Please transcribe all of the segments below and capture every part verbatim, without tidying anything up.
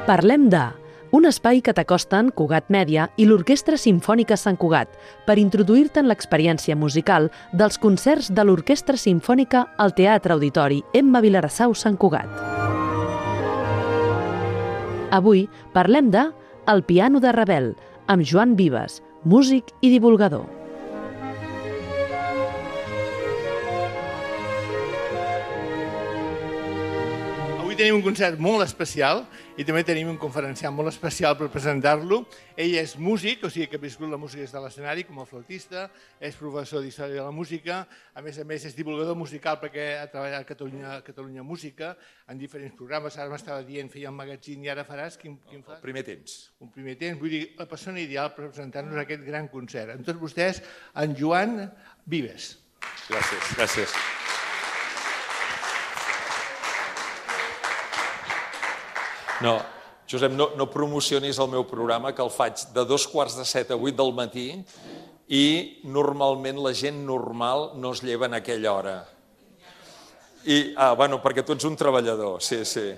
Parlem de... un espai que t'acosta en Cugat Mèdia i l'Orquestra Simfònica Sant Cugat per introduir-te en l'experiència musical dels concerts de l'Orquestra Simfònica al Teatre Auditori Emma Vilarassau Sant Cugat. Avui parlem de El piano de Ravel, amb Joan Vives, músic i divulgador. Avui tenim un concert molt especial i també tenim un conferenciant molt especial per presentar-lo. Ell és músic, o sigui que ha viscut la música des de l'escenari com a flautista, és professor d'Història de la Música, a més a més és divulgador musical perquè ha treballat a Catalunya, Catalunya Música en diferents programes. Ara m'estava dient, feia un magazín i ara faràs... Quin, quin fas? El primer temps. Un primer temps, vull dir, la persona ideal per presentar-nos aquest gran concert. Amb tots vostès, en Joan Vives. Gràcies, gràcies. No, Josep, no, no promocionis el meu programa, que el faig de dos quarts de set a vuit del matí i normalment la gent normal no es lleva en aquella hora. I, ah, bueno, perquè tu ets un treballador, sí, sí.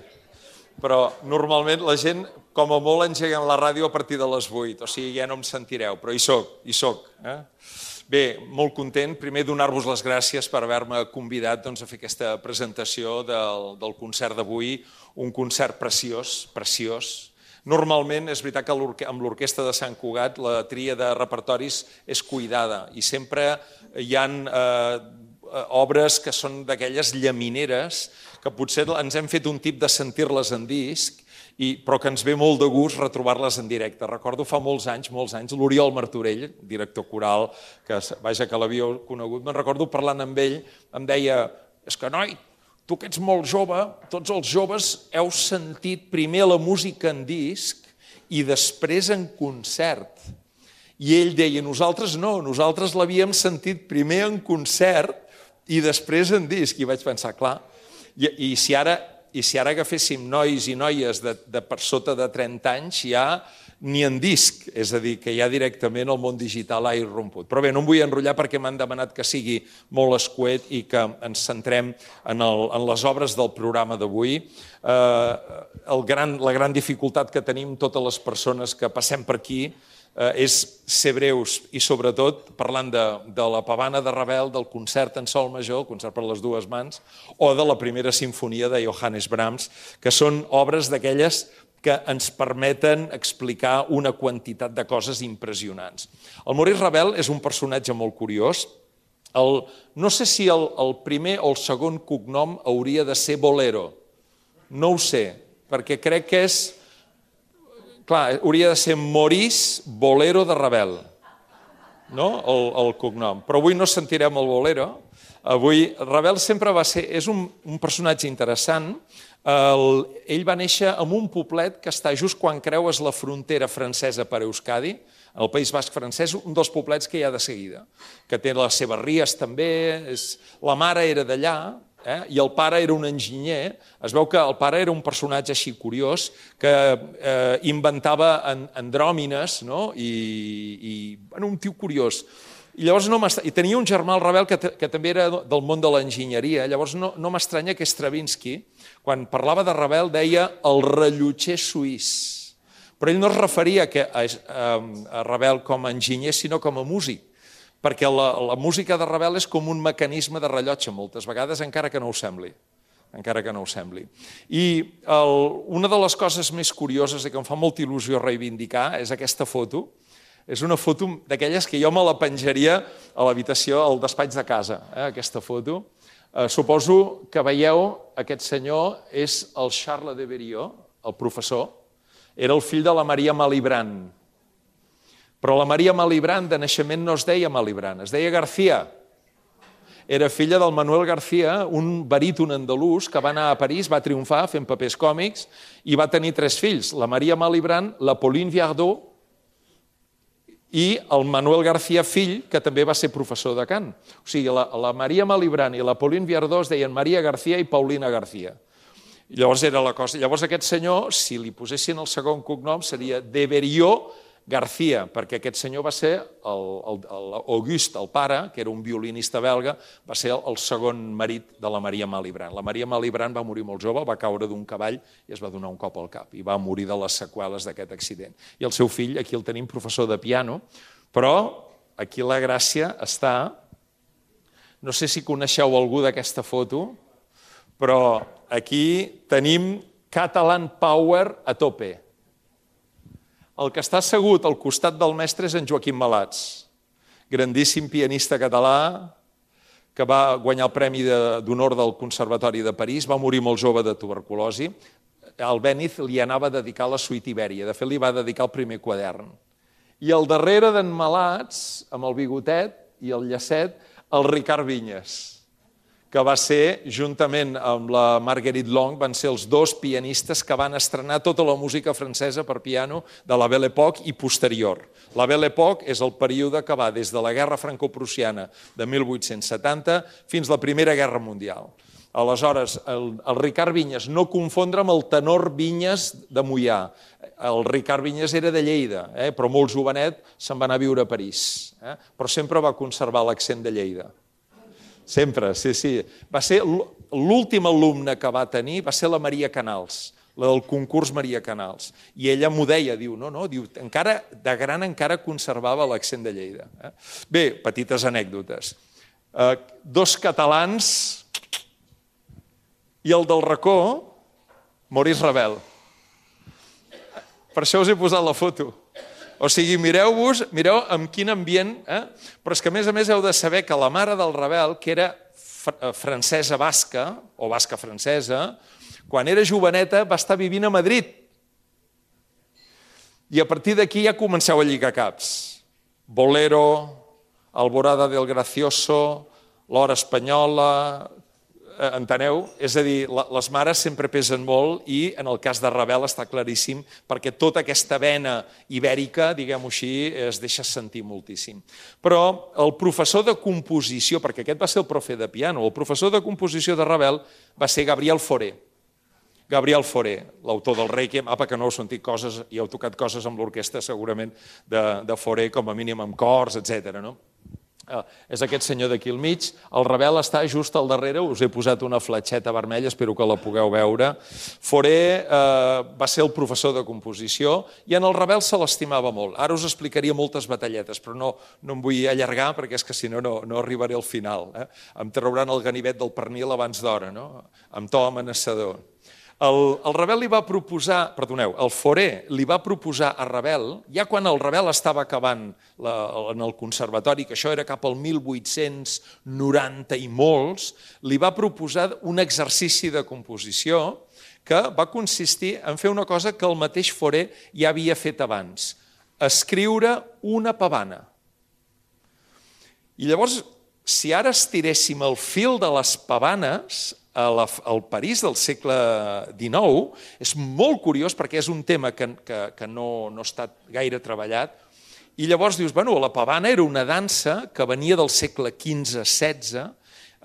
Però normalment la gent, com a molt, engeguen la ràdio a partir de les vuit, o sigui, ja no em sentireu, però hi soc, hi soc. Eh? Bé, molt content, primer donar-vos les gràcies per haver-me convidat doncs, a fer aquesta presentació del, del concert d'avui, un concert preciós, preciós. Normalment és veritat que amb l'Orquestra de Sant Cugat la tria de repertoris és cuidada i sempre hi ha eh, obres que són d'aquelles llamineres que potser ens hem fet un tip de sentir-les en disc, I, però que ens ve molt de gust retrobar-les en directe. Recordo fa molts anys, molts anys, l'Oriol Martorell, director coral, que vaja que l'havíeu conegut, me'n recordo parlant amb ell, em deia, és que noi, tu que ets molt jove, tots els joves heu sentit primer la música en disc i després en concert. I ell deia, nosaltres no, nosaltres l'havíem sentit primer en concert i després en disc. I vaig pensar, clar, i, i si ara... I si ara agaféssim nois i noies de, de per sota de trenta anys, ja ni en disc, és a dir, que ja directament el món digital ha irromput. Però bé, no em vull enrotllar perquè m'han demanat que sigui molt escuet i que ens centrem en, el, en les obres del programa d'avui. Eh, el gran, la gran dificultat que tenim totes les persones que passem per aquí és ser breus i sobretot parlant de, de la pavana de Ravel, del concert en sol major, el concert per les dues mans, o de la primera sinfonia de Johannes Brahms, que són obres d'aquelles que ens permeten explicar una quantitat de coses impressionants. El Maurice Ravel és un personatge molt curiós. El, no sé si el, el primer o el segon cognom hauria de ser Bolero. No ho sé, perquè crec que és... Clar, hauria de ser Maurice Bolero de Ravel, no? El, el cognom. Però avui no sentirem el Bolero. Avui Ravel sempre va ser... És un, un personatge interessant. El, ell va néixer en un poblet que està just quan creues la frontera francesa per Euskadi, el País Basc francès, un dels poblets que hi ha de seguida, que té les seves ries també. És, la mare era d'allà, Eh? i el pare era un enginyer. Es veu que el pare era un personatge així curiós que eh, inventava en, andròmines, no? I, i bueno, un tio curiós. I llavors no I tenia un germà, el Ravel, que, que també era del món de l'enginyeria. Llavors no, no m'estranya que Stravinsky, quan parlava de Ravel, deia el rellotger suís. Però ell no es referia a, a, a Ravel com a enginyer, sinó com a músic. Perquè la, la música de Ravel és com un mecanisme de rellotge moltes vegades, encara que no ho sembli. Encara que no ho sembli. I el, una de les coses més curioses i que em fa molta il·lusió reivindicar és aquesta foto. És una foto d'aquelles que jo me la penjaria a l'habitació, al despatx de casa, eh, aquesta foto. Eh, suposo que veieu, aquest senyor és el Charles de Berriot, el professor. Era el fill de la Maria Malibran. Però la Maria Malibran de naixement no es deia Malibran, es deia García. Era filla del Manuel García, un baríton andalús que va anar a París, va triomfar fent papers còmics i va tenir tres fills, la Maria Malibran, la Pauline Viardot i el Manuel García fill, que també va ser professor de cant. O sigui, la, la Maria Malibran i la Pauline Viardot es deien Maria García i Paulina García. I llavors era la cosa. Llavors aquest senyor, si li posessin el segon cognom, seria de Berriot García, perquè aquest senyor va ser l'Auguste, el pare, que era un violinista belga, va ser el segon marit de la Maria Malibran. La Maria Malibran va morir molt jove, va caure d'un cavall i es va donar un cop al cap i va morir de les seqüeles d'aquest accident. I el seu fill, aquí el tenim professor de piano, però aquí la gràcia està... No sé si coneixeu algú d'aquesta foto, però aquí tenim Catalan Power a tope. El que està assegut al costat del mestre és en Joaquim Malats, grandíssim pianista català, que va guanyar el Premi d'Honor del Conservatori de París, va morir molt jove de tuberculosi. Al Béniz li anava a dedicar la suite Ibèria, de fet li va dedicar el primer quadern. I al darrere d'en Malats, amb el bigotet i el llacet, el Ricard Vinyes, que va ser, juntament amb la Marguerite Long, van ser els dos pianistes que van estrenar tota la música francesa per piano de la Belle Époque i posterior. La Belle Époque és el període que va des de la Guerra Franco-Prussiana de mil vuit-cents setanta fins a la Primera Guerra Mundial. Aleshores, el, el Ricard Vinyes, no confondre amb el tenor Vinyes de Moià. El Ricard Vinyes era de Lleida, eh? però molt jovenet se'n va anar a viure a París, eh? però sempre va conservar l'accent de Lleida. Sempre, sí, sí. Va ser l'últim alumne que va tenir, va ser la Maria Canals, la del concurs Maria Canals. I ella m'ho deia, diu, no, no, diu, encara, de gran encara conservava l'accent de Lleida. Eh? Bé, petites anècdotes. Eh, dos catalans i el del racó, Maurice Ravel. Per això us he posat la foto. O sigui, mireu-vos, mireu amb quin ambient, eh? Però és que a més a més heu de saber que la mare del Ravel, que era francesa basca, o basca francesa, quan era joveneta va estar vivint a Madrid. I a partir d'aquí ja comenceu a lligar caps. Bolero, Alborada del Gracioso, l'Hora Espanyola... Enteneu? És a dir, les mares sempre pesen molt i en el cas de Ravel està claríssim perquè tota aquesta vena ibèrica, diguem-ho així, es deixa sentir moltíssim. Però el professor de composició, perquè aquest va ser el profe de piano, el professor de composició de Ravel va ser Gabriel Fauré. Gabriel Fauré, l'autor del Requiem, apa, que no heu sentit coses, i heu tocat coses amb l'orquestra segurament de, de Fauré, com a mínim amb cors, etcètera, no? Uh, és aquest senyor d'aquí al mig. El Ravel està just al darrere, us he posat una fletxeta vermella, espero que la pugueu veure. Fauré uh, va ser el professor de composició i en el Ravel se l'estimava molt. Ara us explicaria moltes batalletes, però no, no em vull allargar perquè és que si no, no, no arribaré al final. Eh? Em trauran el ganivet del pernil abans d'hora, no? Amb to amenaçador. El, el Ravel li va proposar, perdoneu, el Fauré li va proposar a Ravel, ja quan el Ravel estava acabant la, en el conservatori, que això era cap al mil vuit-cents noranta i molts, li va proposar un exercici de composició que va consistir en fer una cosa que el mateix Fauré ja havia fet abans, escriure una pavana. I llavors, si ara estiréssim el fil de les pavanes, al París del segle dinou, és molt curiós perquè és un tema que, que, que no, no ha estat gaire treballat, i llavors dius, bueno, la pavana era una dansa que venia del segle quinze setze,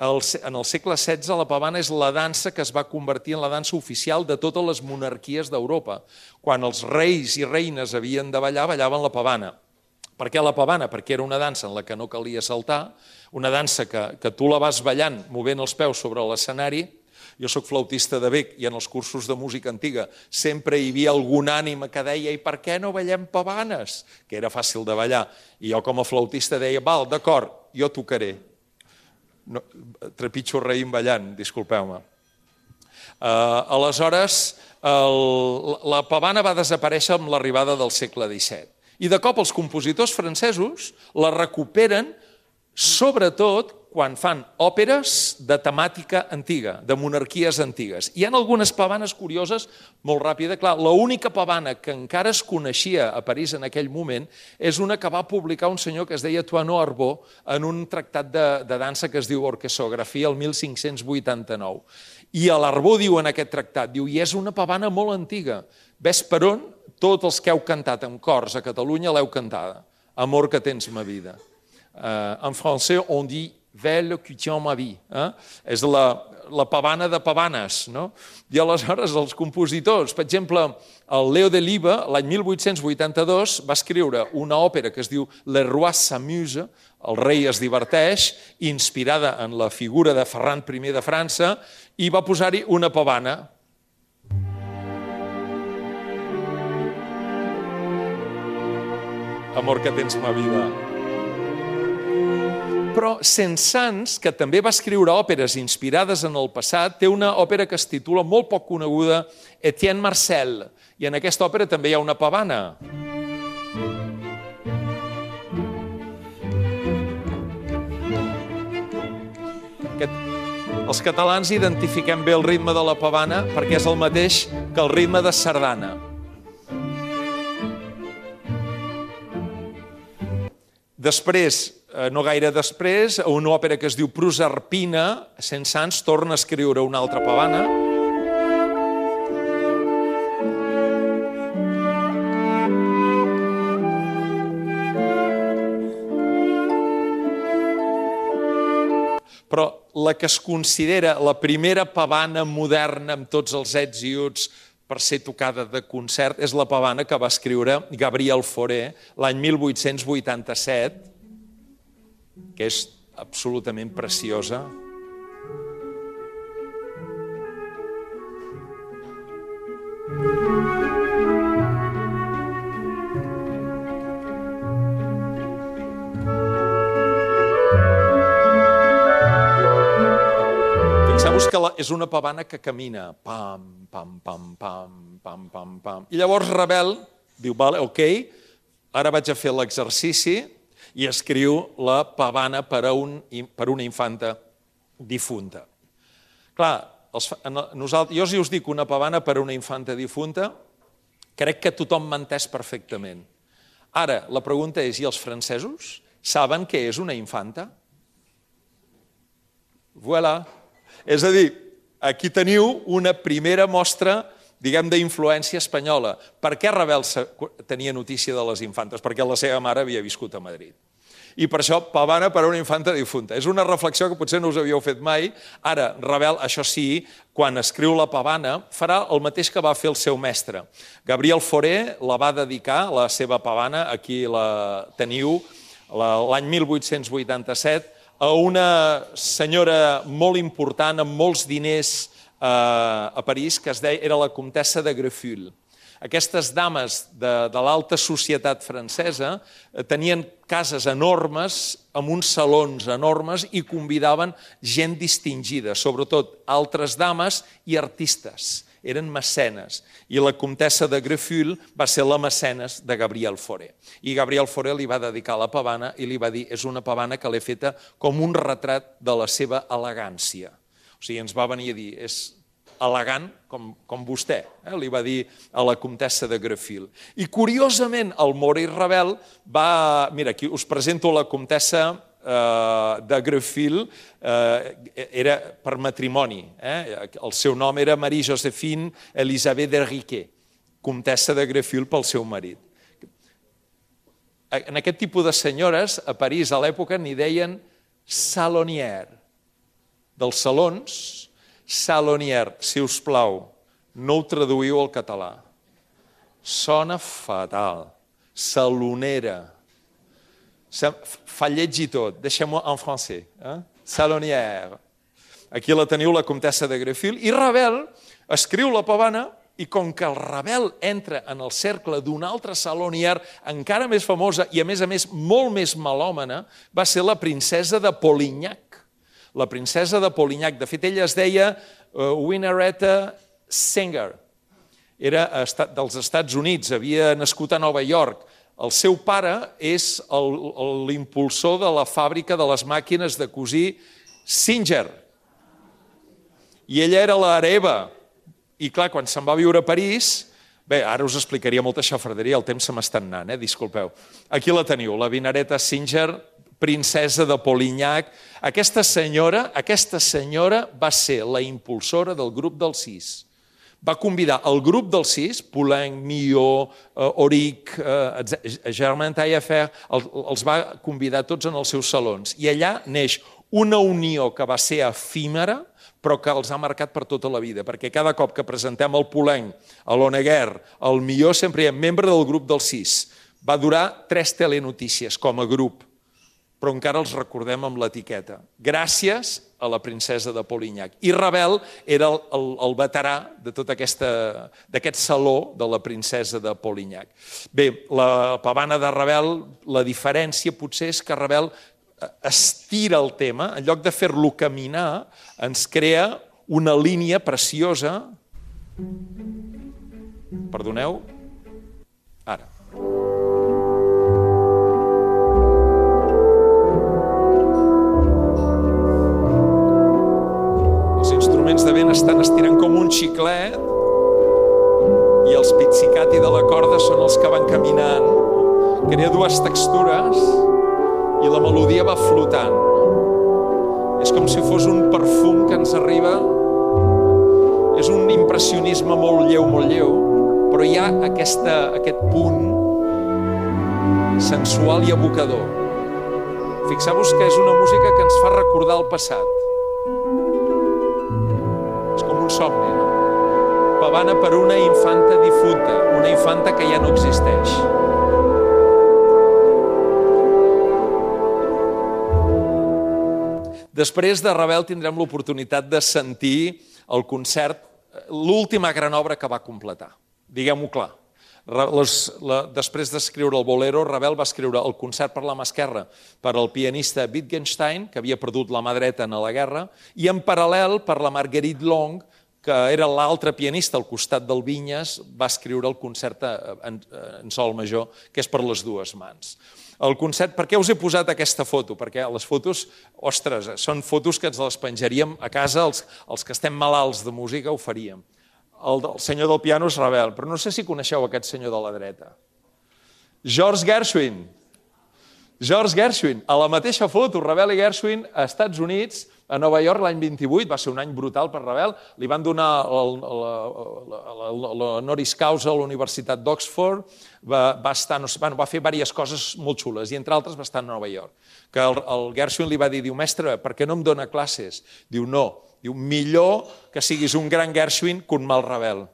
en el segle setze la pavana és la dansa que es va convertir en la dansa oficial de totes les monarquies d'Europa. Quan els reis i reines havien de ballar, ballaven la pavana. Per què la pavana? Perquè era una dansa en la que no calia saltar, una dansa que, que tu la vas ballant, movent els peus sobre l'escenari. Jo soc flautista de bec i en els cursos de música antiga sempre hi havia algun ànima que deia i per què no ballem pavanes? Que era fàcil de ballar. I jo com a flautista deia, val, d'acord, jo tocaré. No, trepitjo raïm ballant, disculpeu-me. Uh, aleshores, el, la pavana va desaparèixer amb l'arribada del segle disset. I de cop els compositors francesos la recuperen, sobretot quan fan òperes de temàtica antiga, de monarquies antigues. Hi ha algunes pavanes curioses, molt ràpida. Clar, l'única pavana que encara es coneixia a París en aquell moment és una que va publicar un senyor que es deia Toineau Arbot en un tractat de, de dansa que es diu Orquesografia el mil cinc-cents vuitanta-nou. I l'Arbot diu en aquest tractat, diu, i és una pavana molt antiga. Ves per on? Tots els que heu cantat en cors a Catalunya l'heu cantada. Amor que tens ma vida. Uh, en francès on dit Velle qui tient ma vie. Eh? És la, la pavana de pavanes, no? I aleshores els compositors, per exemple, el Leo Deliba, l'any mil vuit-cents vuitanta-dos, va escriure una òpera que es diu Le Roi s'amuse, el rei es diverteix, inspirada en la figura de Ferran primer de França, i va posar-hi una pavana. Amor que tens ma vida. Però Saint-Saëns, que també va escriure òperes inspirades en el passat, té una òpera que es titula, molt poc coneguda, Etienne Marcel, i en aquesta òpera també hi ha una pavana. Els catalans identifiquem bé el ritme de la pavana perquè és el mateix que el ritme de sardana. Després, no gaire després, una òpera que es diu Prosarpina, Saint-Saëns torna a escriure una altra pavana. Però la que es considera la primera pavana moderna amb tots els ets i uts per ser tocada de concert és la pavana que va escriure Gabriel Fauré l'any mil vuit-cents vuitanta-set, que és absolutament preciosa. Fixeu-vos que és una pavana que camina, pam, pam, pam, pam, pam, pam, pam. I llavors Ravel diu, vale, ok, ara vaig a fer l'exercici i escriu la pavana per a un, per una infanta difunta. Clar, els, nosaltres, jo si us dic una pavana per a una infanta difunta, crec que tothom m'ha entès perfectament. Ara, la pregunta és, i els francesos saben què és una infanta? Voilà. És a dir, aquí teniu una primera mostra, diguem, d'influència espanyola. Per què Ravel tenia notícia de les infantes? Perquè la seva mare havia viscut a Madrid. I per això, pavana per a una infanta difunta. És una reflexió que potser no us havíeu fet mai. Ara, Ravel, això sí, quan escriu la pavana, farà el mateix que va fer el seu mestre. Gabriel Fauré la va dedicar, la seva pavana, aquí la teniu, l'any mil vuit-cents vuitanta-set, a una senyora molt important, amb molts diners a París, que es deia, era la comtessa de Grefful. Aquestes dames de, de l'alta societat francesa tenien cases enormes, amb uns salons enormes, i convidaven gent distingida, sobretot altres dames i artistes. Eren mecenes. I la comtessa de Grefful va ser la mecenes de Gabriel Fauré. I Gabriel Fauré li va dedicar la pavana i li va dir, és una pavana que l'he feta com un retrat de la seva elegància. O sigui, ens va venir a dir, és elegant com, com vostè, eh? Li va dir a la comtessa de Grefful. I curiosament, el Maurice Ravel va... Mira, aquí us presento la comtessa de Grefful, era per matrimoni. El seu nom era Marie-Joséphine Elisabeth de Riquet, comtessa de Grefful pel seu marit. En aquest tipus de senyores, a París a l'època n'hi deien salonière. Dels salons, salonière. Si us plau, no ho traduïu al català. Sona fatal. Salonera. Fa lleig i tot, deixem-ho en francès. Salonière. Aquí la teniu, la comtessa de Grefful. I Ravel escriu la pavana i com que el Ravel entra en el cercle d'una altra salonière encara més famosa i a més a més molt més melòmana, va ser la princesa de Polignac. La princesa de Polignac. De fet, ella es deia Winnaretta Singer. Era dels Estats Units, havia nascut a Nova York. El seu pare és l'impulsor de la fàbrica de les màquines de cosir Singer. I ella era l'hereva. I clar, quan se'n va viure a París... Bé, ara us explicaria molta xafarderia, el temps se m'està anant, eh? Disculpeu. Aquí la teniu, la Winnaretta Singer, princesa de Polignac. Aquesta senyora, aquesta senyora va ser la impulsora del grup dels sis. Va convidar el grup dels sis, Poulenc, Milhaud, Auric, Germain Taillefer, els va convidar tots en els seus salons. I allà neix una unió que va ser efímera, però que els ha marcat per tota la vida, perquè cada cop que presentem el Polenc, a l'Oneguer, el millor sempre hi ha membre del grup del sis. Va durar tres telenotícies com a grup, però encara els recordem amb l'etiqueta. Gràcies a la princesa de Polignac. I Ravel era el, el, el veterà de tot d'aquest saló de la princesa de Polignac. Bé, la pavana de Ravel, la diferència potser és que Ravel estira el tema, en lloc de fer-lo caminar, ens crea una línia preciosa. Perdoneu? Ara. Els instruments de vent estan estirant com un xiclet i els pizzicati de la corda són els que van caminant. Crea dues textures i la melodia va flotant. És com si fos un perfum que ens arriba. És un impressionisme molt lleu, molt lleu, però hi ha aquesta, aquest punt sensual i evocador. Fixeu-vos que és una música que ens fa recordar el passat. És com un somni, no? Pavana per una infanta difunta, una infanta que ja no existeix. Després de Ravel tindrem l'oportunitat de sentir el concert, l'última gran obra que va completar. Diguem-ho clar. Les, la, després d'escriure el Bolero, Ravel va escriure el concert per la mà esquerra per al pianista Wittgenstein, que havia perdut la mà dreta en la guerra, i en paral·lel per la Marguerite Long, que era l'altre pianista al costat del Vinyes, va escriure el concert en, en sol major, que és per les dues mans. El concert, per què us he posat aquesta foto? Perquè les fotos, ostres, són fotos que ens les penjaríem a casa, els, els que estem malalts de música ho faríem. El, el senyor del piano és Ravel, però no sé si coneixeu aquest senyor de la dreta. George Gershwin. George Gershwin, a la mateixa foto, Ravel i Gershwin a Estats Units, a Nova York l'any vint-i-vuit, va ser un any brutal per Ravel, li van donar l'honoris causa a la Universitat d'Oxford, va, va, estar, no sé, bueno, va fer diverses coses molt xules, i entre altres va estar a Nova York. Que el, el Gershwin li va dir, diu, mestre, per què no em dona classes? Diu, no, diu, millor que siguis un gran Gershwin que un mal Ravel.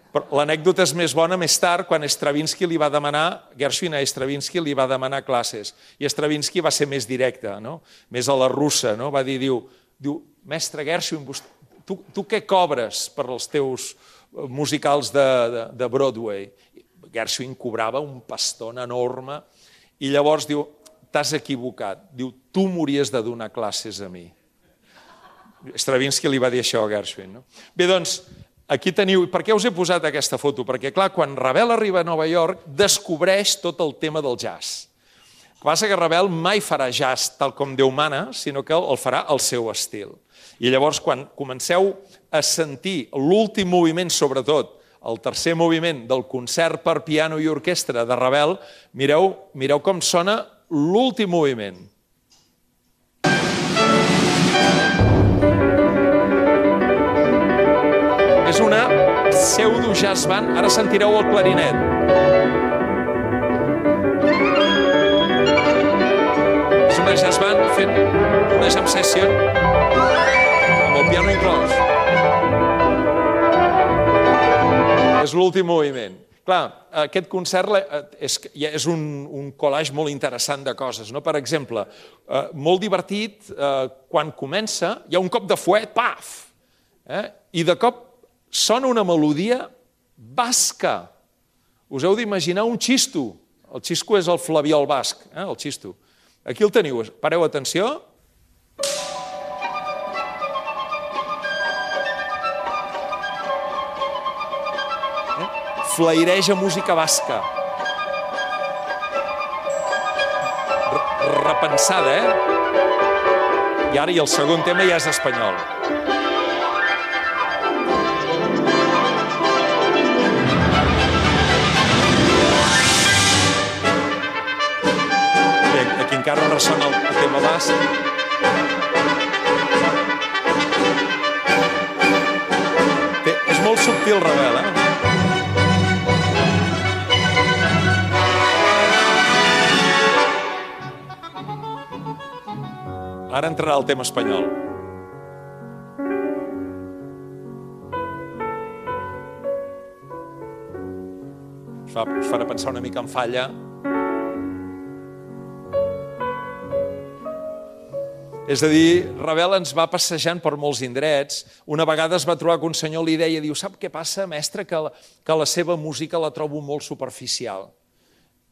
L'anècdota és més bona més tard, quan Stravinsky li va demanar, Gershwin a Stravinsky li va demanar classes, i Stravinsky va ser més directe, no? Més a la russa, no? Va dir, diu, diu mestre Gershwin, tu, tu què cobres per als teus musicals de, de, de Broadway? Gershwin cobrava un pastón enorme, i llavors diu, t'has equivocat, diu, tu m'hauries de donar classes a mi. Stravinsky li va dir això a Gershwin, no? Bé, doncs, aquí teniu, per què us he posat aquesta foto? Perquè, clar, quan Ravel arriba a Nova York, descobreix tot el tema del jazz. El que passa que Ravel mai farà jazz tal com Déu mana, sinó que el farà al seu estil. I llavors, quan comenceu a sentir l'últim moviment, sobretot, el tercer moviment del concert per piano i orquestra de Ravel, mireu, mireu com sona l'últim moviment. És una pseudo-jazz band. Ara sentireu el clarinet. És una jazz band fent una jam session amb el piano inclòs. És l'últim moviment. Clar, aquest concert és, és un, un collage molt interessant de coses, no? Per exemple, eh, molt divertit, eh, quan comença, hi ha un cop de fuet, paf! Eh? I de cop sona una melodia basca. Us heu d'imaginar un xisto. El xisto és el flabiol basc, eh? El xisto. Aquí el teniu. Pareu atenció. Eh? Flaireja música basca. Repensada, eh? I ara, i el segon tema ja és espanyol. Encara ressona el tema basc. Té, és molt subtil, Ravel, eh? Ara entrarà el tema espanyol. Us, fa, us farà pensar una mica en Falla. És a dir, Ravel ens va passejant per molts indrets. Una vegada es va trobar que un senyor li deia, diu, sap què passa, mestre, que la, que la seva música la trobo molt superficial.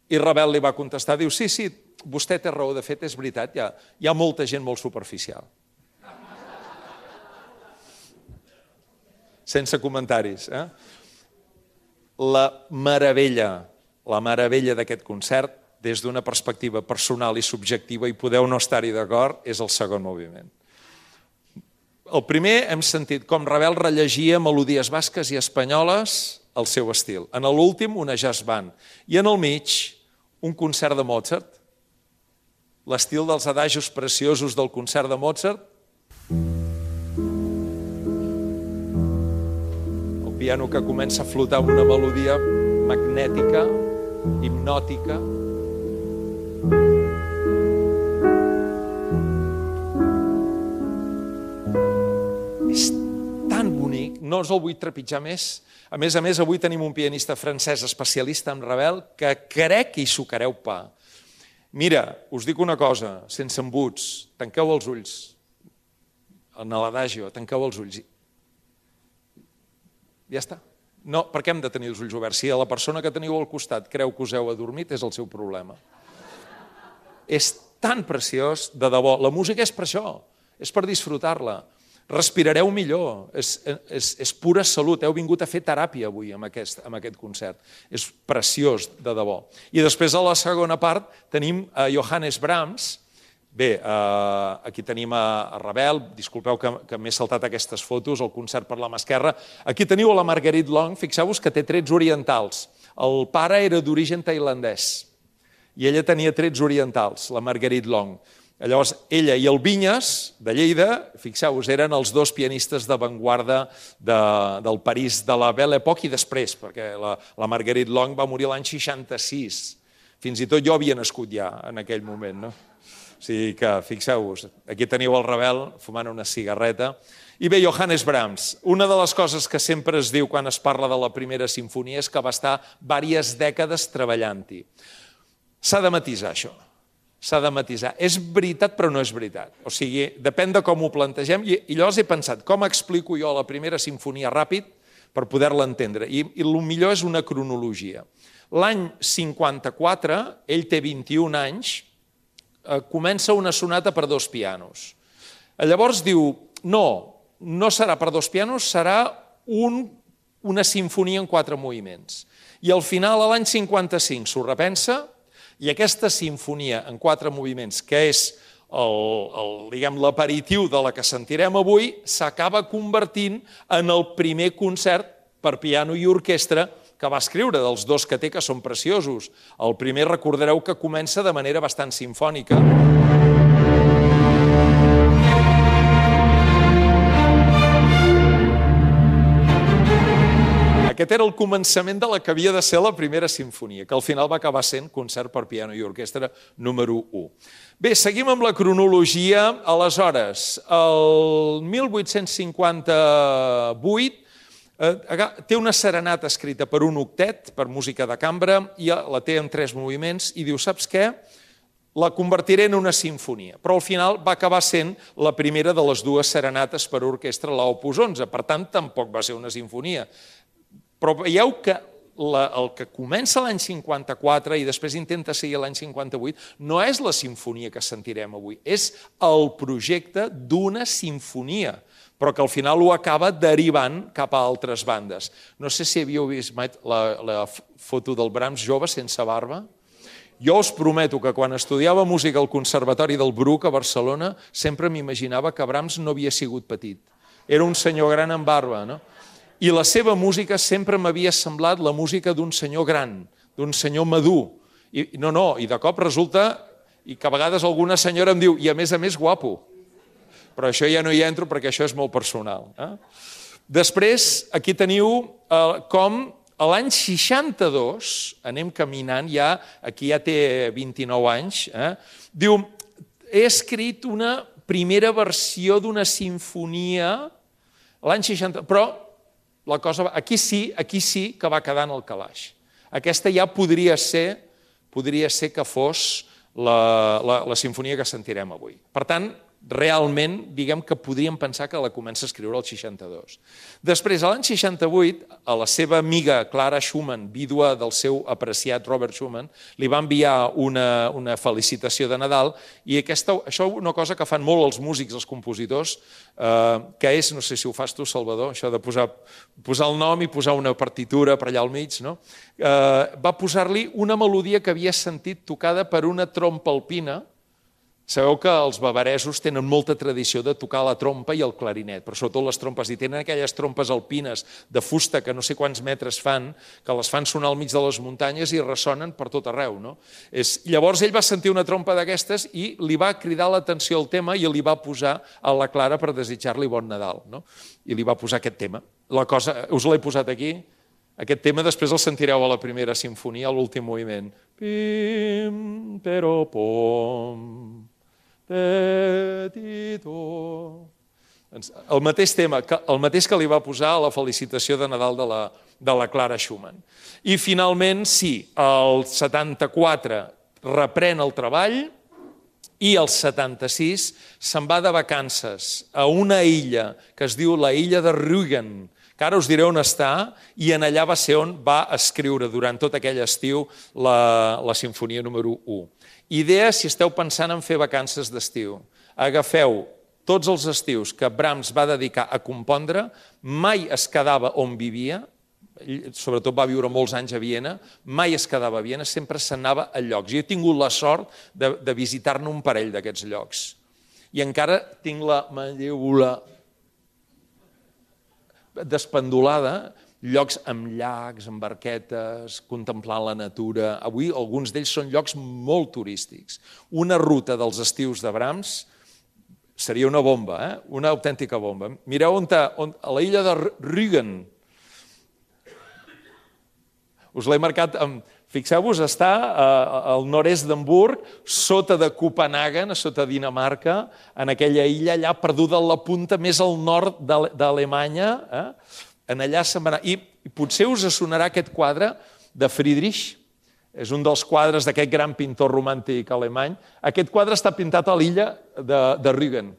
I Ravel li va contestar, diu, sí, sí, vostè té raó, de fet és veritat, hi ha, hi ha molta gent molt superficial. Sense comentaris. Eh? La meravella, la meravella d'aquest concert, des d'una perspectiva personal i subjectiva, i podeu no estar-hi d'acord, és el segon moviment. El primer hem sentit com Ravel rellegia melodies basques i espanyoles al seu estil. En l'últim, una jazz band. I en el mig, un concert de Mozart. L'estil dels adagios preciosos del concert de Mozart. El piano que comença a flotar amb una melodia magnètica, hipnòtica. És tan bonic, no us el vull trepitjar més. A més a més, avui tenim un pianista francès especialista en Ravel que crec que hi sucareu pa. Mira, us dic una cosa, sense embuts, tanqueu els ulls. En l'adagio, tanqueu els ulls. Ja està. No, per què hem de tenir els ulls oberts? Si la persona que teniu al costat creu que us heu adormit, és el seu problema. És tan preciós, de debò. La música és per això, és per disfrutar-la. Respirareu millor, és, és, és pura salut. Heu vingut a fer teràpia avui amb aquest, amb aquest concert. És preciós, de debò. I després, a la segona part, tenim a Johannes Brahms. Bé, eh, aquí tenim a Ravel, disculpeu que, que m'he saltat aquestes fotos, el concert per la mà esquerra. Aquí teniu a la Marguerite Long, fixeu-vos que té trets orientals. El pare era d'origen tailandès i ella tenia trets orientals, la Marguerite Long. Llavors, ella i el Vinyes, de Lleida, fixeu-vos, eren els dos pianistes d'avantguarda de, del París de la Belle Époque i després, perquè la, la Marguerite Long va morir l'any seixanta-sis. Fins i tot jo havia nascut ja en aquell moment, no? O sigui que, fixeu-vos, aquí teniu el Ravel fumant una cigarreta. I bé, Johannes Brahms, una de les coses que sempre es diu quan es parla de la primera sinfonia és que va estar diverses dècades treballant-hi. S'ha de matisar això, s'ha de matisar. És veritat però no és veritat. O sigui, depèn de com ho plantegem. I, i llavors he pensat, com explico jo la primera sinfonia ràpid per poder-la entendre? I, i el millor és una cronologia. L'any cinquanta-quatre, ell té vint-i-un anys, eh, comença una sonata per dos pianos. Llavors diu, no, no serà per dos pianos, serà un, una sinfonia en quatre moviments. I al final, a l'any cinquanta-cinc, s'ho repensa, i aquesta sinfonia en quatre moviments, que és l'aperitiu de la que sentirem avui, s'acaba convertint en el primer concert per piano i orquestra que va escriure, dels dos que té, que són preciosos. El primer, recordareu que comença de manera bastant simfònica. Aquest era el començament de la que havia de ser la primera sinfonia, que al final va acabar sent concert per piano i orquestra número u. Bé, seguim amb la cronologia. Aleshores, el mil vuit-cents cinquanta-vuit té una serenata escrita per un octet, per música de cambra, i la té en tres moviments, i diu, saps què? La convertiré en una sinfonia, però al final va acabar sent la primera de les dues serenates per orquestra, l'Opus onze, per tant, tampoc va ser una sinfonia. Però veieu que la, el que comença l'any cinquanta-quatre i després intenta seguir l'any cinquanta-vuit no és la sinfonia que sentirem avui, és el projecte d'una sinfonia, però que al final ho acaba derivant cap a altres bandes. No sé si havíeu vist la, la foto del Brahms jove sense barba. Jo us prometo que quan estudiava música al Conservatori del Bruc a Barcelona sempre m'imaginava que Brahms no havia sigut petit. Era un senyor gran amb barba, no? I la seva música sempre m'havia semblat la música d'un senyor gran, d'un senyor madur. I no, no, i de cop resulta, i que a vegades alguna senyora em diu, i a més a més guapo. Però això ja no hi entro perquè això és molt personal. Eh? Després, aquí teniu eh, com a l'any seixanta-dos, anem caminant, ja, aquí ja té vint-i-nou anys, eh? Diu, he escrit una primera versió d'una sinfonia l'any seixanta... Però la cosa... Aquí sí, aquí sí que va quedar en el calaix. Aquesta ja podria ser, podria ser que fos la, la, la sinfonia que sentirem avui. Per tant, realment, diguem que podríem pensar que la comença a escriure el seixanta-dos. Després, a l'any seixanta-vuit, a la seva amiga Clara Schumann, vídua del seu apreciat Robert Schumann, li va enviar una, una felicitació de Nadal i aquesta, això és una cosa que fan molt els músics, els compositors, eh, que és, no sé si ho fas tu, Salvador, això de posar, posar el nom i posar una partitura per allà al mig, no? Eh, va posar-li una melodia que havia sentit tocada per una trompa alpina. Sabeu que els bavaresos tenen molta tradició de tocar la trompa i el clarinet, però sobretot les trompes, i tenen aquelles trompes alpines de fusta que no sé quants metres fan, que les fan sonar al mig de les muntanyes i ressonen per tot arreu. No? És... Llavors ell va sentir una trompa d'aquestes i li va cridar l'atenció al tema i li va posar a la Clara per desitjar-li bon Nadal. No? I li va posar aquest tema. La cosa, us l'he posat aquí. Aquest tema després el sentireu a la primera sinfonia, a l'últim moviment. Pim, però, pom... Petito. El mateix tema, el mateix que li va posar a la felicitació de Nadal de la, de la Clara Schumann. I finalment, sí, el setanta-quatre reprèn el treball i el setanta-sis se'n va de vacances a una illa que es diu la illa de Rügen, que ara us diré on està, i en allà va ser on va escriure durant tot aquell estiu la, la sinfonia número u. Idea, si esteu pensant en fer vacances d'estiu. Agafeu tots els estius que Brahms va dedicar a compondre, mai es quedava on vivia, sobretot va viure molts anys a Viena, mai es quedava a Viena, sempre s'anava a llocs. Jo he tingut la sort de, de visitar-ne un parell d'aquests llocs. I encara tinc la mandíbula despendolada, llocs amb llacs, amb barquetes, contemplant la natura. Avui alguns d'ells són llocs molt turístics. Una ruta dels estius de Brahms seria una bomba, eh? Una autèntica bomba. Mireu on, on a la illa de Rügen. Us l'he marcat amb... Fixeu-vos, està al nord-est d'Hamburg, sota de Copenhagen, sota Dinamarca, en aquella illa allà perduda a la punta més al nord d'Alemanya. Eh? En allà se'n va anar. I potser us sonarà aquest quadre de Friedrich, és un dels quadres d'aquest gran pintor romàntic alemany. Aquest quadre està pintat a l'illa de, de Rügen.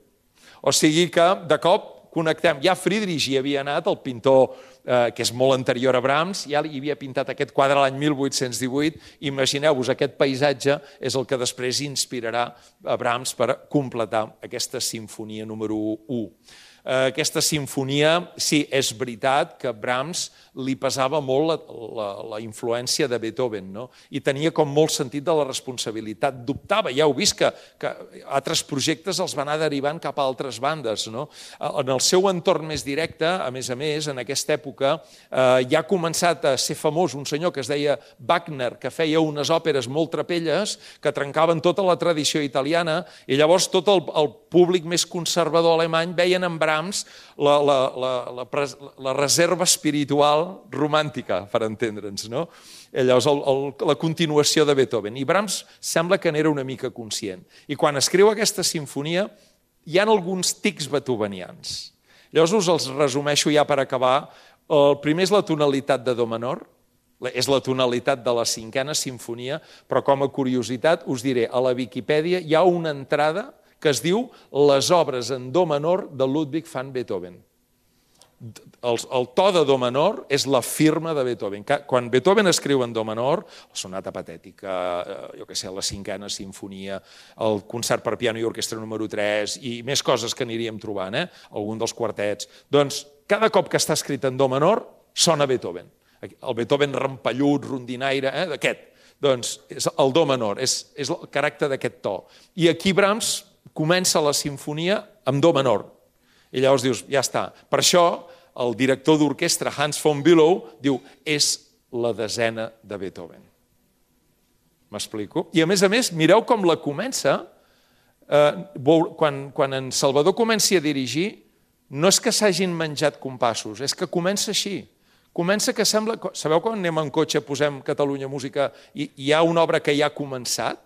O sigui que, de cop, connectem. Ja Friedrich hi havia anat, el pintor eh, que és molt anterior a Brahms, ja hi havia pintat aquest quadre l'any mil vuit-cents divuit. Imagineu-vos, aquest paisatge és el que després inspirarà a Brahms per completar aquesta sinfonia número u. Aquesta sinfonia, sí, és veritat que Brahms li pesava molt la, la, la influència de Beethoven, no? I tenia com molt sentit de la responsabilitat. Dubtava, ja heu vist que, que altres projectes els van anar derivant cap a altres bandes, no? En el seu entorn més directe, a més a més, en aquesta època, eh, ja ha començat a ser famós un senyor que es deia Wagner, que feia unes òperes molt trapelles, que trencaven tota la tradició italiana, i llavors tot el, el públic més conservador alemany veien en Brahms la, la, la, la, la reserva espiritual romàntica, per entendre'ns, no? Llavors, el, el, la continuació de Beethoven. I Brahms sembla que n'era una mica conscient. I quan escriu aquesta sinfonia, hi ha alguns tics beethovenians. Llavors us els resumeixo ja per acabar. El primer és la tonalitat de do menor, és la tonalitat de la cinquena sinfonia, però com a curiositat us diré, a la Viquipèdia hi ha una entrada que es diu Les obres en do menor de Ludwig van Beethoven. El, el to de do menor és la firma de Beethoven. Quan Beethoven escriu en do menor, la sonata patètica, jo què sé, la cinquena sinfonia, el concert per piano i orquestra número tres i més coses que aniríem trobant, eh? Algun dels quartets. Doncs cada cop que està escrit en do menor sona Beethoven. El Beethoven rampellut, rondinaire, eh? D'aquest. Doncs és el do menor, és, és el caràcter d'aquest to. I aquí Brahms comença la sinfonia amb do menor. I llavors dius, ja està. Per això el director d'orquestra, Hans von Bülow, diu, és la desena de Beethoven. M'explico? I a més a més, mireu com la comença. Eh, quan, quan en Salvador comenci a dirigir, no és que s'hagin menjat compassos, és que comença així. Comença que sembla... Sabeu quan anem en cotxe, posem Catalunya Música i hi ha una obra que ja ha començat?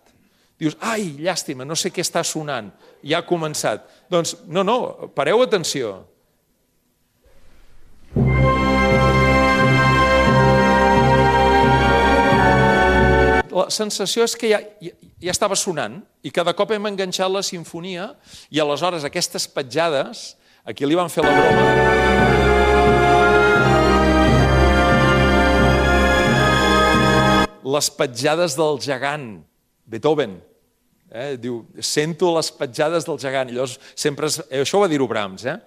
Dius, ai, llàstima, no sé què està sonant, ja ha començat. Doncs no, no, pareu atenció. La sensació és que ja, ja, ja estava sonant i cada cop hem enganxat la sinfonia i aleshores aquestes petjades, aquí li van fer la broma. Les petjades del gegant, Beethoven. Eh? Diu, sento les petjades del gegant. I llavors, sempre es, això ho va dir-ho Brahms, eh?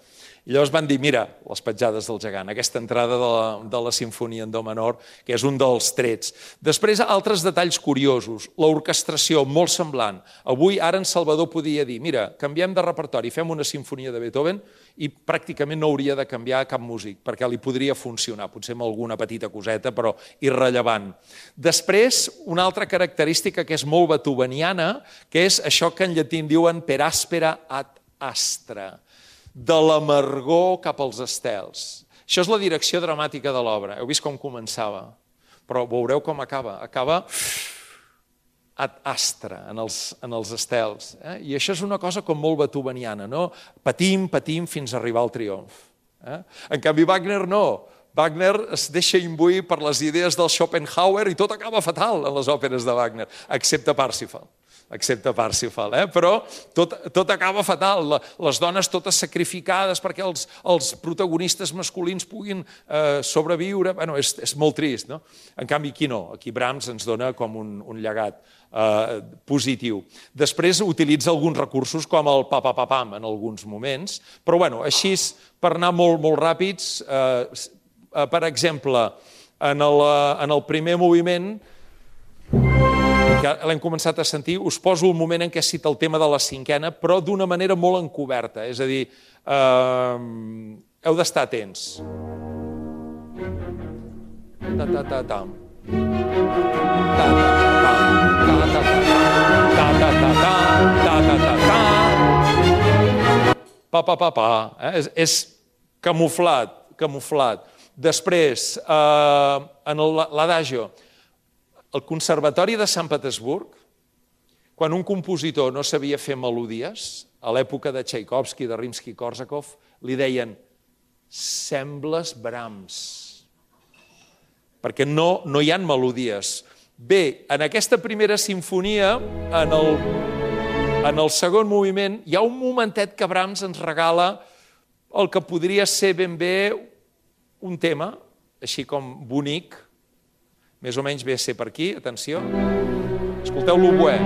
I llavors van dir, mira, les petjades del gegant, aquesta entrada de la, de la sinfonia en do menor, que és un dels trets. Després, altres detalls curiosos. L'orquestració, molt semblant. Avui, ara en Salvador podia dir, mira, canviem de repertori, fem una sinfonia de Beethoven i pràcticament no hauria de canviar cap músic, perquè li podria funcionar, potser amb alguna petita coseta, però irrellevant. Després, una altra característica que és molt beethoveniana, que és això que en llatí diuen per aspera ad astra, de l'amargor cap als estels. Això és la direcció dramàtica de l'obra. Heu vist com començava, però veureu com acaba. Acaba ad astra, en els, en els estels. Eh? I això és una cosa com molt beethoveniana, no? Patim, patim, fins a arribar al triomf. Eh? En canvi, Wagner no. Wagner es deixa imbuir per les idees del Schopenhauer i tot acaba fatal en les òperes de Wagner, excepte Parsifal. excepte Parsifal, eh? Però tot, tot acaba fatal, les dones totes sacrificades perquè els, els protagonistes masculins puguin eh, sobreviure, bueno, és, és molt trist, no? En canvi, aquí no, aquí Brahms ens dona com un, un llegat eh, positiu. Després utilitza alguns recursos com el pa-pa-pa-pam en alguns moments, però bueno, així, per anar molt, molt ràpids, eh, eh, per exemple, en el, en el primer moviment, que l'hem començat a sentir, us poso el moment en què cita el tema de la cinquena, però d'una manera molt encoberta, és a dir, eh, heu d'estar atents. Ta-ta-ta-tam. Ta-ta-ta-ta. Pa-pa-pa-pa. És camuflat, camuflat. Després, en l'adagio, al Conservatori de Sant Petersburg, quan un compositor no sabia fer melodies, a l'època de Tchaikovsky, de Rimsky-Korsakov, li deien sembles Brahms, perquè no, no hi ha melodies. Bé, en aquesta primera sinfonia, en el, en el segon moviment, hi ha un momentet que Brahms ens regala el que podria ser ben bé un tema, així com bonic, més o menys ve a ser per aquí, atenció. Escolteu l'oboè.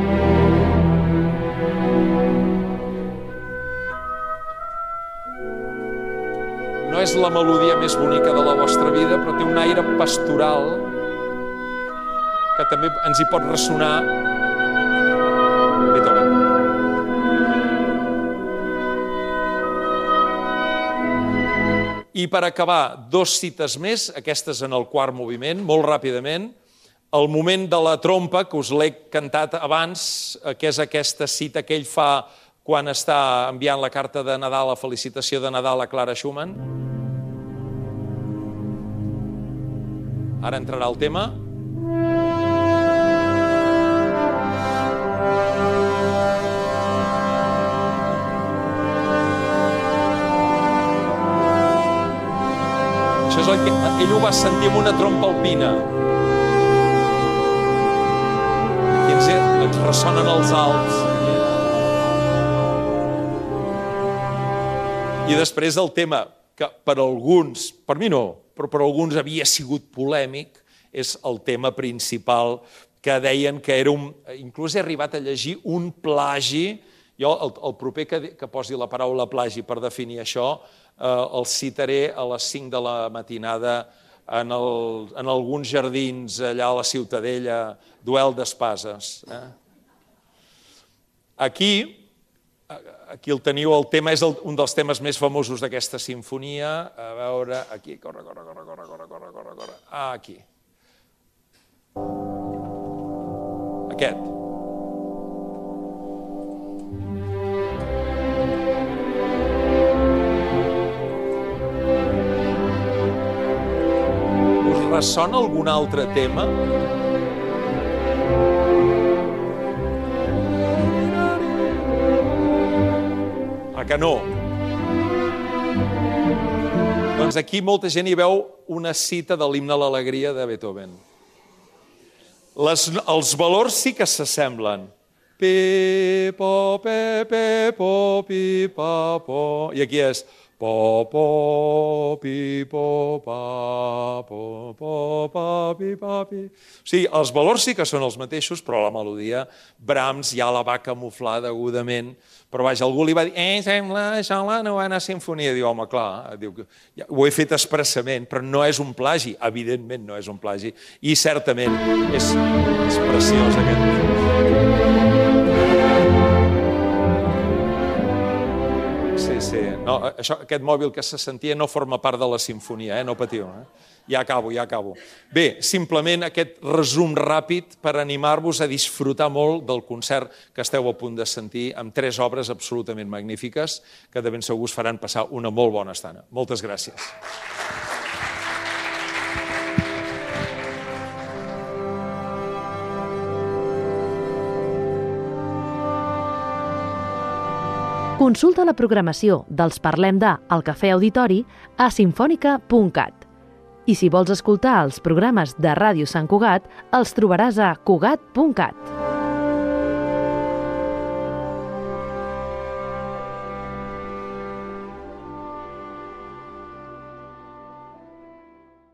No és la melodia més bonica de la vostra vida, però té un aire pastoral que també ens hi pot ressonar Beethoven. I per acabar, dos cites més, aquestes en el quart moviment, molt ràpidament. El moment de la trompa, que us l'he cantat abans, que és aquesta cita que ell fa quan està enviant la carta de Nadal, la felicitació de Nadal a Clara Schumann. Ara entrarà el tema. Això és el que ell ho va sentir amb una trompa alpina. Aquí ens, ens ressonen els Alps. I després el tema, que per alguns, per mi no, però per alguns havia sigut polèmic, és el tema principal que deien que era un... Inclús he arribat a llegir un plagi. Jo, el, el proper que, que posi la paraula plagi per definir això, eh, el citaré a les cinc de la matinada en, el, en alguns jardins allà a la Ciutadella, duel d'espases. Eh? Aquí, aquí el teniu, el tema és el, un dels temes més famosos d'aquesta sinfonia. A veure, aquí, corre, corre, corre, corre, corre, corre, corre, corre. Ah, aquí. Aquest. Ressona algun altre tema? que no? Doncs aquí molta gent hi veu una cita de l'himne a l'alegria de Beethoven. Les, els valors sí que s'assemblen. Pi, po, pe, pe, po, pi, pa, po. I aquí és po, po, pi, po, pa, po, po, pa, pi, pa, pi. O sigui, els valors sí que són els mateixos, però la melodia Brahms ja la va camuflar degudament. Però vaja, algú li va dir, eh, sembla això la novena sinfonia. Diu, home, clar, diu, ja, ho he fet expressament, però no és un plagi. Evidentment no és un plagi. I certament és, és preciós aquest. Sí, sí. No, això, aquest mòbil que se sentia no forma part de la sinfonia, eh? No patiu. Eh? Ja acabo, ja acabo. Bé, simplement aquest resum ràpid per animar-vos a disfrutar molt del concert que esteu a punt de sentir amb tres obres absolutament magnífiques que de ben segur us faran passar una molt bona estona. Moltes gràcies. Consulta la programació dels Parlem de al Cafè Auditori a simfònica punt cat. I si vols escoltar els programes de Ràdio Sant Cugat, els trobaràs a cugat punt cat.